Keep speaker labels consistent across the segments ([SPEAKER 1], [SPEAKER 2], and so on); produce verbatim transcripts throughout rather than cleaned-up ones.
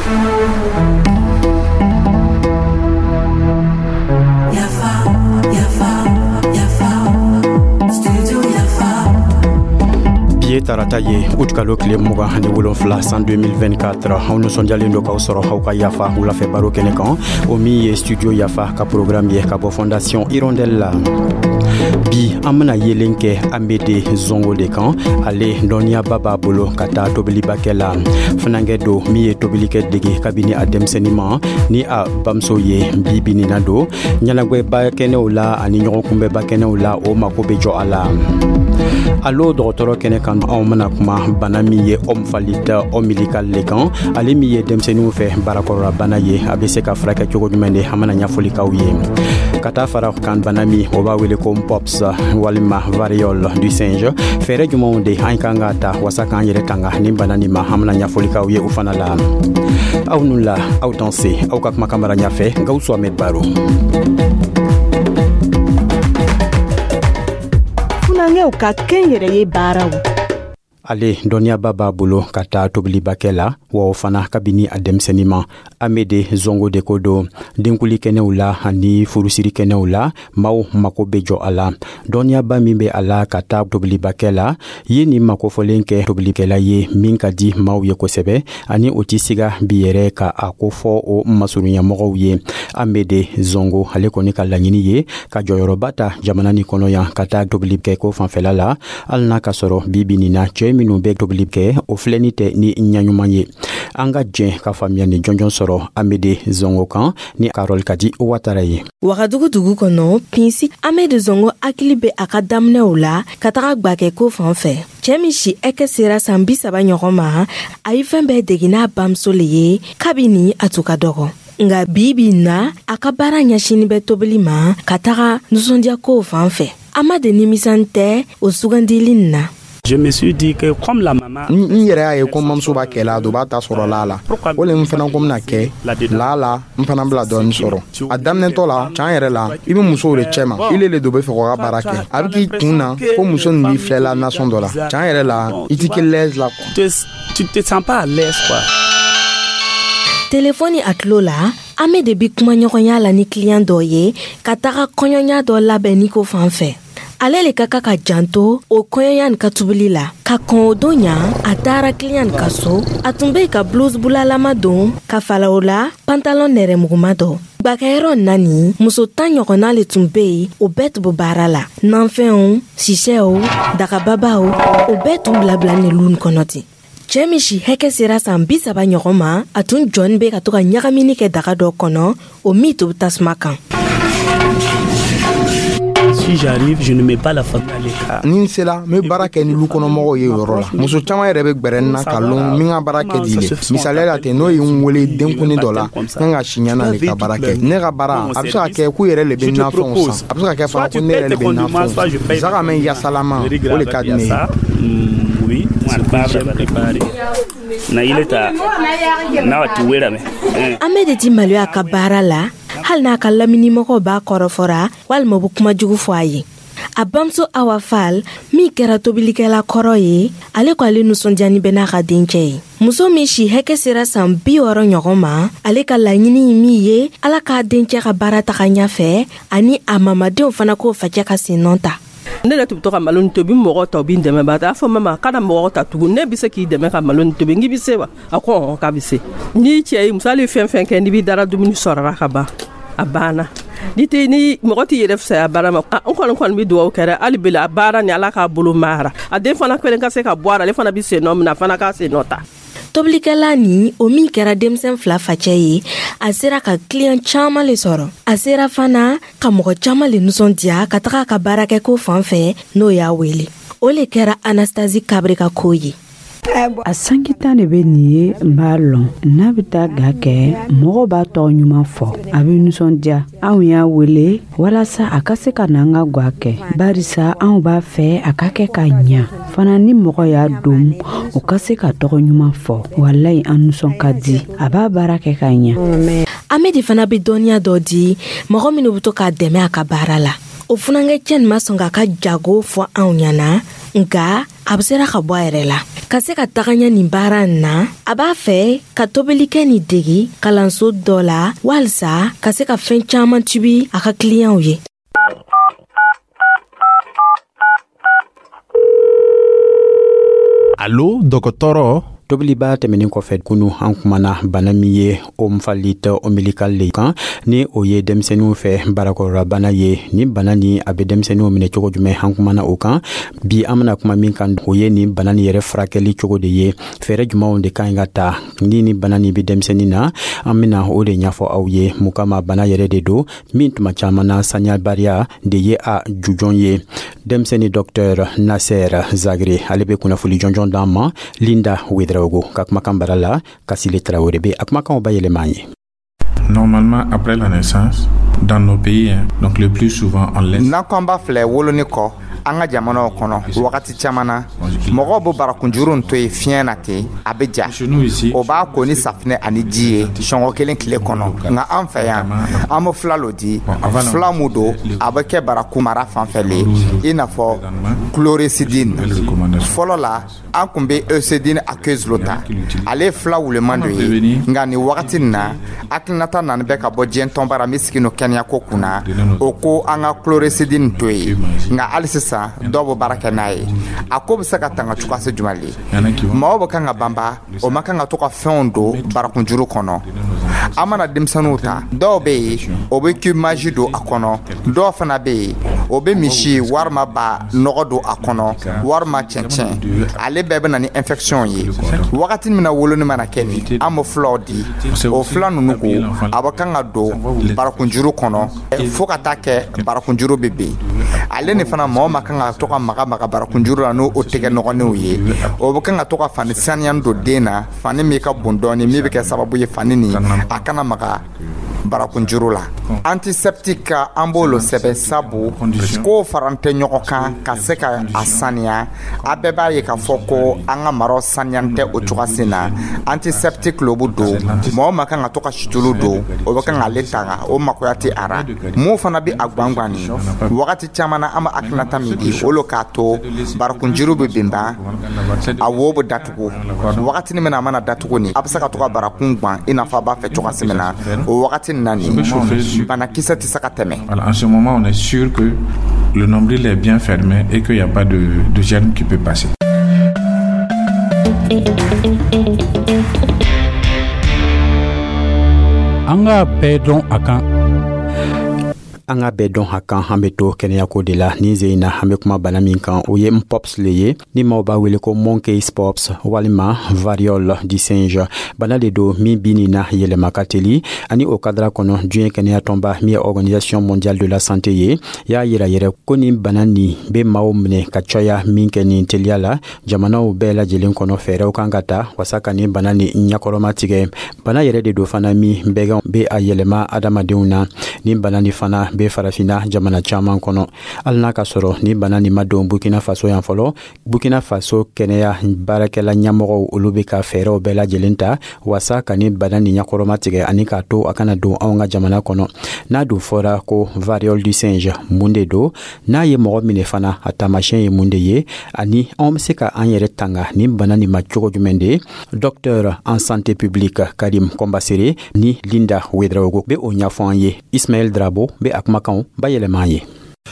[SPEAKER 1] Yafa, yafa, yafa, studio Yafa.
[SPEAKER 2] Bi ye tarata ye, utikalo tile mugan ani wolonfila, san deux mille vingt-quatre. Aw nisɔndiyalen do k'aw sɔrɔ aw ka Yafa wulafɛ baro kɛnɛ kan, o min ye Studio Yafa ka programme ye ka bɔ Fondation Hirondelle la. Bi an bena yelen kɛ Amede Zongo de kan. Ale dɔnniyaba b'a bolo ka taa tobilibakɛ la. Funankɛ do min ye tobilikɛ dege kabini a denmisɛni ma ni a bamuso ye. Bi bi nin na don ɲɛnagwɛba kɛnɛw la ani ɲɔgɔn kunbɛba kɛnɛw la, o mako be jɔ a la. Alo dɔgɔtɔrɔ kɛnɛ kan, anw bena kuma bana min ye omphalite ombilical le kan, ale min ye denmisɛniw fɛ barakɔrɔla ye. A be se ka furakɛ cogo jumɛn de? An bena ɲɛfɔli k'aw ye. Ka taa fara kan, bana min o b'a wele ko mpox walima variole du singe, fɛɛrɛ jumɛnw de an kan ka ta wasa k'an yɛrɛ tanga nin bana nin ma? An bena ɲɛfɔli k'aw ye o fana la. Aw nu la, aw danse. Aw ka kumakan mara ɲafɛ, Gawusu Ahmed Baro.
[SPEAKER 3] Funankɛw ka kɛnyɛrɛye baaraw.
[SPEAKER 2] Ale dɔnniyaba b'a bolo ka taa tobilibakɛ la, wa o fana kabini a denmisɛnnin ma. Amede Zongo de ko don denkuli kɛnɛw la ani furusiri kɛnɛw la, maaw mako be jɔ a la. Dɔnniyaba min be a la ka taa tobilibakɛ la ye nin makofɔlen kɛ tobilikɛla ye min ka di maaw ye kosɛbɛ, ani o tɛ siga bi yɛrɛ ka a kofɔ o masurunyamɔgɔw ye. Amede Zongo, ale kɔni ka laɲini ye ka jɔyɔrɔba ta jamana ni kɔnɔ yan ka taa tobili kɛ ko fanfɛla la, hali n'a ka sɔrɔ bi bi nin na, cɛɛ minnu bɛ tobili kɛ, o filɛni tɛ ni ɲaɲuman ye. An ka jɛn ka faamuya ni jɔnjɔn sɔrɔ Amede Zongo kan ni Karol Kadi Watara ye.
[SPEAKER 4] Wagadugu dugu kɔnɔ, Pinsi, Amede Zongo hakili bɛ a ka daminɛw la ka taga gwakɛ ko fan fɛ. Cɛɛ min si ɛkɛ sera san bi saba ɲɔgɔn ma, a ye fɛn bɛɛ degi n'a bamuso le ye kabini a tun ka dɔgɔ. Nga bi bi na, a ka baara ɲɛsinin bɛ tobili ma ka taga nisɔndiyakow fan fɛ. A ma de nimisan tɛ o sugandili nin na.
[SPEAKER 5] Je me suis dit que comme la maman
[SPEAKER 6] N yɛrɛ y'a ye ko n bamuso b'a kɛla, do b'a ta sɔrɔ la la, o le n fana ko bɛna kɛ la la, n fana bila dɔɔni sɔrɔ. A daminɛtɔ la, can yɛrɛ la, i bɛ musow de cɛ ma, ile le do bɛ fɛ k'o ka baara kɛ. A bɛ k'i kun na ko muso nin b'i filɛla nasɔn dɔ la. Can yɛrɛ la, i ti kɛ l'aise la quoi.
[SPEAKER 5] Tu te sens pas à l'aise, quoi.
[SPEAKER 4] Telefɔni a tulo la, Amede bi kumaɲɔgɔnya la ni kiliyan dɔ ye ka taga kɔɲɔya dɔ labɛn ni ko fan fɛ. Ale le ka kan ka janto o kɔɲɔya nin ka tubili la. Ka kɔn o don ɲa, a taara kiliyan nin ka so. A tun be ka blouse bulalama don ka fala o la pantalon nɛrɛmuguma dɔ. Gwakɛyɔrɔ na nin, muso tan ɲɔgɔnna le tun be yen, o bɛɛ tun be baara la. Nanfɛnw, sisɛw, dagababaw, o bɛɛ tun bilabila nin lu kɔnɔ ten. Cɛɛ min si hɛkɛ sera san bi saba ɲɔgɔn ma, a tun jɔni be ka to ka ɲagamini kɛ daga dɔ kɔnɔ, o min to tasuma kan.
[SPEAKER 5] Si j'arrive, je ne mets pas la famille à l'écart.
[SPEAKER 6] Ni n sela, n bɛ baara kɛ ni lu kɔnɔmɔgɔw ye o yɔrɔ la. Muso caman yɛrɛ bɛ gbɛrɛ n na ka lɔn min ka baara kɛ di le. Misaliya la ten, n'o ye n wele denkundi dɔ la, n kan ka si ɲɛna de ka baara kɛ. Ne ka baara, a bɛ se ka kɛ k'u yɛrɛ le bɛ nafɛnw san, a bɛ se ka kɛ fana ko ne yɛrɛ le bɛ nafɛnw san. Zaga mɛn yasalama, o le ka di ne ye.
[SPEAKER 5] Oui, ce que j'aime préparer. Na ile ta na wati wera me.
[SPEAKER 4] Amede ti maloya a ka baara la, hali n'a ka laminimɔgɔw b'a kɔrɔfɔra walima u be kuma jugu fɔ a ye. A bamuso Awa Fal, min kɛra tobilikɛla kɔrɔ ye, ale ko ale nisɔndiyani bɛ n'a ka dencɛ ye. Muso min si hɛkɛ sera san bi wɔɔrɔ ɲɔgɔn ma, ale ka laɲini ye min ye, Ala k'a dencɛ ka baara taga ɲafɛ, ani a mamadenw fana k'o facɛ ka sennɔ ta.
[SPEAKER 7] Ne yɛrɛ tun bɛ to ka malo nin tobi, mɔgɔ ta, u b'i dɛmɛ ba. A fɔ mama kana mɔgɔ ta tugun, ne bɛ se k'i dɛmɛ ka malo nin tobi. N k'i bɛ se wa? A ko ɔn, k'a bɛ se. N'i cɛ ye musali fɛn fɛn kɛ, n'i b'i dara dumuni sɔrɔla ka ban, a banna. Ni tɛ ni mɔgɔ t'i yɛrɛ fisaya baara ma. N kɔni kɔni bɛ dugawu kɛ hali bi, a baara ni Ala k'a bolo mara, a den fana kelen ka se ka bɔ a la, ale fana bɛ sen nɔ min na, a fana k'a sen nɔ ta.
[SPEAKER 4] Tobilikɛla nin, o min kɛra denmisɛn fila facɛ ye, a sera ka kiliyan caaman le sɔrɔ. A sera fana ka mɔgɔ caaman le nisɔndiya ka taga a ka baarakɛko fan fɛ n'o y'a wele. O le kɛra Anastasi Kabre ka koo ye.
[SPEAKER 8] A sanki tan de bɛ nin ye, n b'a lɔn. N'a bɛ taa ga kɛ, mɔgɔw b'a tɔgɔ ɲuman fɔ, a bɛ nisɔndiya. Anw y'a wele walasa a ka se ka na an ka ga kɛ, barisa anw b'a fɛ a ka kɛ ka ɲa fana. Ni mɔgɔ y'a don, o ka se ka tɔgɔ ɲuman fɔ. Walayi, an nisɔn ka di, a b'a baara kɛ ka ɲa.
[SPEAKER 4] Amedi fana bɛ dɔnniya dɔ di mɔgɔ minnu bɛ to k'a dɛmɛ a ka baara la. O funankɛ cɛ nin ma sɔn k'a ka jago fɔ anw ɲɛna, nka a bɛ sera ka bɔ a yɛrɛ la. Ka se ka taga ɲɛ nin baara in na, a b'a fɛ ka tobilikɛ nin degi kalanso dɔ la walisa ka se ka fɛn caman tubi a ka kiliyanw ye.
[SPEAKER 9] Alo, dɔgɔtɔrɔ.
[SPEAKER 2] Tobiliba tɛmɛnin kɔfɛ kunu, an kumana bana min ye omphalité ombilicale le kan, ni o ye denmisɛnninw fɛ barakɔrɔlabana ye. Ni bana ni a bɛ denmisɛnninw minɛ cogo jumɛn, an kumana o kan. Bi an bena kuma min kan, o ye nin bana nin yɛrɛ furakɛli cogo de ye. Fɛɛrɛ jumanw de ka ɲi ka ta ni ni bana nin be denmisɛnnin na, an bena o de ɲɛfɔ aw ye. Mun kama bana yɛrɛ de don min tuma caaman na saniyabariya de ye a jujɔn ye. Denmisɛnnin dɔktɛr Nasser Zagre, ale be kunnafoli jɔnjɔn d'an ma Linda Ouedraogo ka kumakan bara la. Kasile Traoré be a kumakanw bayɛlɛma an ye.
[SPEAKER 10] Normalement, après la naissance, dans nos pays, hein, donc le plus souvent, on laisse.
[SPEAKER 11] N'an ko an b'a filɛ woloni kɔ an ka jamanaw kɔnɔ, wagati caman na mɔgɔw bɛ barakunjuru to yen fiɲɛ na ten, a bɛ ja, o b'a ko ni safinɛ ani ji ye sɔngɔ kelen tile kɔnɔ. Nka an fɛ yan, an bɛ fila lo di, fila mun don, a bɛ kɛ barakun mara fan fɛ le, i n'a fɔ chlorhexidine. Fɔlɔ la, an kun bɛ eucédine aqueuse lo ta, ale ye fila wuleman dɔ ye. Nka nin wagati nin na, hakilinata nani bɛ ka bɔ diɲɛ tɔnba ra min sigi no kɛnɛyako kunna, o ko an ka chlorhexidine to yen. Nka hali sisan dɔw bɛ baara kɛ n'a ye. A ko bɛ se ka tanga cogoya se jumɛn le? Maaw bɛ kan ka banba, o ma kan ka to ka fɛnw don barakunjuru kɔnɔ. An mana denmisɛnninw ta, dɔw bɛ yen, o bɛ cube Maggi don a kɔnɔ, dɔw fana bɛ yen, o bɛ misi walima ba nɔgɔ don a kɔnɔ walima cɛncɛn. Ale bɛɛ bɛ na ni infection ye. Wagati min na woloni mana kɛ nin, an bɛ fulaw di, o fula ninnu ko a bɛ kan ka don barakunjuru kɔnɔ fo ka taa kɛ barakunjuru bɛ bin. Ale ni fana, mɔgɔ ma kan ka to ka maga maga barakunjuru la n'o tɛgɛ nɔgɔninw ye. O bɛ kan ka to ka fani saniya don den na, fani min ka bon dɔɔni, min bɛ kɛ sababu ye fani nin a kana maga barakunjuru la. Antiseptique an b'o sɛbɛn, sabu k'o faran tɛ ɲɔgɔn kan ka se ka a saniya. A bɛɛ b'a ye k'a fɔ ko an ka maraw saniya tɛ o cogoya sen na. Antiseptique lo bɛ don, mɔgɔ ma kan ka to ka situlu don, o bɛ kan k'ale tanga, o makoya tɛ a ra. Mun fana bɛ a gangan nin wagati caman na, an bɛ hakilinata min di, o lo k'a to barakunjuru bɛ binban, a wo bɛ datugu. Wagati min na a mana datugu nin, a bɛ se ka to ka barakun gan i n'a fɔ a b'a fɛ cogoya min na. O wagati banakisɛ tɛ se ka tɛmɛ.
[SPEAKER 10] Voilà, en ce moment, on est sûr que le nombril est bien fermé et qu'il n'y a pas de, de germe qui peut passer.
[SPEAKER 9] An k'a bɛɛ dɔn a kan.
[SPEAKER 2] An ka bɛɛ dɔn a kan. An be to kɛnɛyako de la nin ze in na. An be kuma bana min kan, o ye mpox le ye, ni maaw b'a wele ko monkeypox walima variole du singe. Bana de don min bi nin na yɛlɛma ka teli. Ani o kadara kɔnɔ, diɲɛ kɛnɛya tɔnba min ye Organisation mondiale de la santé ye, y'a yira yɛrɛ ko nin bana nin be maaw minɛ ka caya min kɛ nin teliya la jamanaw bɛɛ lajɛlen kɔnɔ. Fɛɛrɛw kan ka ta wasa ka nin bana nin ɲakɔrɔma tigɛ. Bana yɛrɛ de don fana min bɛganw be a yɛlɛma adamadenw na. Nin bana nin fana be farafinna jamana caaman kɔnɔ. Hali n'a ka sɔrɔ ni bana nin ma don Burkina Faso yan fɔlɔ, Burkina Faso kɛnɛya baarakɛla ɲɛmɔgɔw, olu be ka fɛɛrɛw bɛɛ lajɛlen ta wasa ka ni bana nin ɲakɔrɔma tigɛ ani k'a to a kana don anw ka jamana kɔnɔ. N'a dun fɔra ko variole du singe, mun de don? N'a ye mɔgɔ minɛ fana, a taamasiyɛn ye mun de ye? Ani anw be se ka an yɛrɛ tanga nin bana nin ma cogo jumɛn de? Docteur en santé publique Karim Kombasere ni Linda Ouedraogo be o ɲɛfɔ an ye. Ismaël Drabo be a kumakanw bayɛlɛma an ye.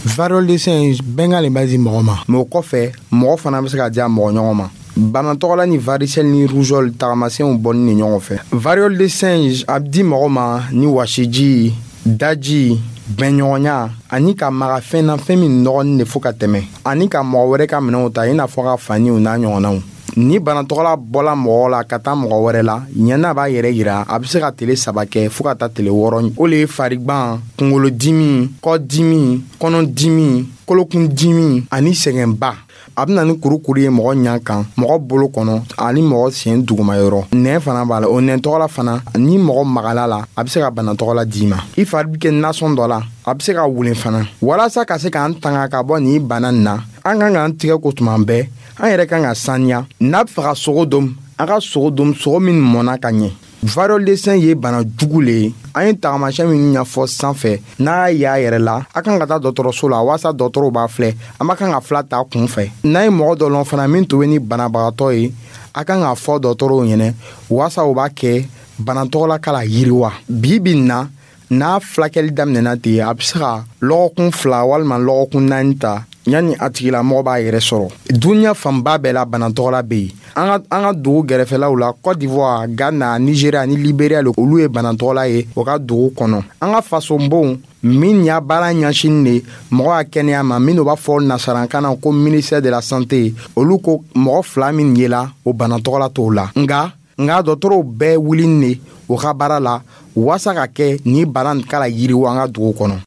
[SPEAKER 6] Variole de singe, bɛnkan le b'a di mɔgɔ ma, mɛ o kɔfɛ mɔgɔ fana bɛ se ka diya mɔgɔ ɲɔgɔn ma. Bana tɔgɔla ni varicelle ni rougeole tagamasiyɛnw bɔni ni ɲɔgɔn fɛ. Variole de singe a bɛ di mɔgɔ ma ni wasiji, daji, bɛnɲɔgɔnya ani ka maga fɛn na, fɛn min nɔgɔnin de fo ka tɛmɛ, ani ka mɔgɔ wɛrɛ ka minɛnw ta, i n'a fɔ ka faniw n'a ɲɔgɔnnaw. Ni bana tɔgɔla bɔla mɔgɔ la ka taa mɔgɔ wɛrɛ la, ɲɛna b'a yɛrɛ yira, a bɛ se ka tele saba kɛ fo ka taa tele wɔɔrɔ. O le ye farigban, kunkolodimi, kɔdimi, kɔnɔdimi, kolokundimi ani sɛgɛnba. A bɛ na ni kurukuru ye mɔgɔ ɲɛ kan, mɔgɔ bolo kɔnɔ ani mɔgɔ sen dugumayɔrɔ. Nɛn fana b'a la. O nɛn tɔgɔla fana, ni mɔgɔ magala la, a bɛ se ka bana tɔgɔla d'i ma. I fari bɛ kɛ nasɔn dɔ la, a bɛ se ka wulen fana. Walasa ka se k'an tanga ka bɔ nin bana nin na, an kan k'an tigɛ ko tuma bɛɛ. An yɛrɛ kan ka saniya. N'a bɛ fɛ ka sogo dom, an ka sogo dom, sogo min mɔnna ka ɲɛ. Variole de singe ye bana jugu le ye. An ye tagamasiyɛn minnu ɲɛfɔ sanfɛ, n'a y'a yɛrɛ la, a kan ka taa dɔgɔtɔrɔso la walasa dɔgɔtɔrɔw b'a filɛ. An ma kan ka fila ta kun fɛ. N'a ye mɔgɔ dɔ lɔn fana min tun bɛ ni banabagatɔ ye, a kan k'a fɔ dɔgɔtɔrɔw ɲɛnɛ walasa u b'a kɛ bana tɔgɔla ka la yiriwa. Bi bi in na, n'a fulakɛli daminɛna ten, a bɛ se ka lɔgɔkun fila walima lɔgɔkun naani ta yanni a tigilamɔgɔ b'a yɛrɛ sɔrɔ. Duniɲa fanba bɛɛ la, bana tɔgɔla bɛ yen. An ka an ka dugu gɛrɛfɛlaw la, Cote d'Ivoire, Ghana, Nigeria ni Liberia le, olu ye bana tɔgɔla ye o ka dugu kɔnɔ. An ka fasonbonw min y'a baara ɲɛsinin de mɔgɔ ka kɛnɛya ma, minnu b'a fɔ nasarankan na ko ministère de la Santé, olu ko mɔgɔ fila min yela o bana tɔgɔla t'o la. Nka nka dɔgɔtɔrɔw bɛɛ wulini de o ka baara la waasa ka kɛ ni bana nin kala yiriwa an ka dugu kɔnɔ.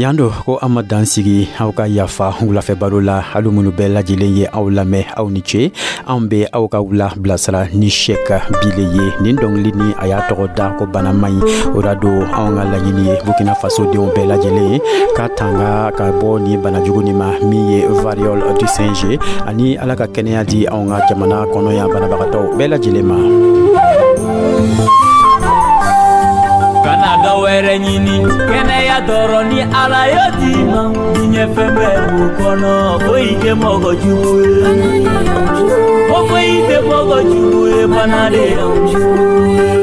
[SPEAKER 2] Yan do ko an ma dan sigi aw ka yafa wulafɛ baro la. Alu minnu bɛɛ lajɛlen ye aw lamɛn, aw ni ce. Anw be aw ka wula bilasira ni Sɛk Bile ye. Nin dɔngili ni a y'a tɔgɔ da ko bana man ɲi. O da don anw ka laɲini ye Burkina Faso denw bɛɛ lajɛlen ye ka tanga ka bɔ ni banajugu nin ma min ye variole du singe, ani Ala ka kɛnɛya di anw ka jamana kɔnɔ yan banabagatɔw bɛɛ lajɛlen ma.
[SPEAKER 12] Kana dɔ wɛrɛ ɲini kɛnɛya dɔrɔn ni Ala y'o d'i ma, diɲɛ fɛn bɛɛ b'o kɔnɔ. Foyi tɛ mɔgɔ jugu ye, ko foyi tɛ mɔgɔ jugu ye, bana de y'anw jugu ye.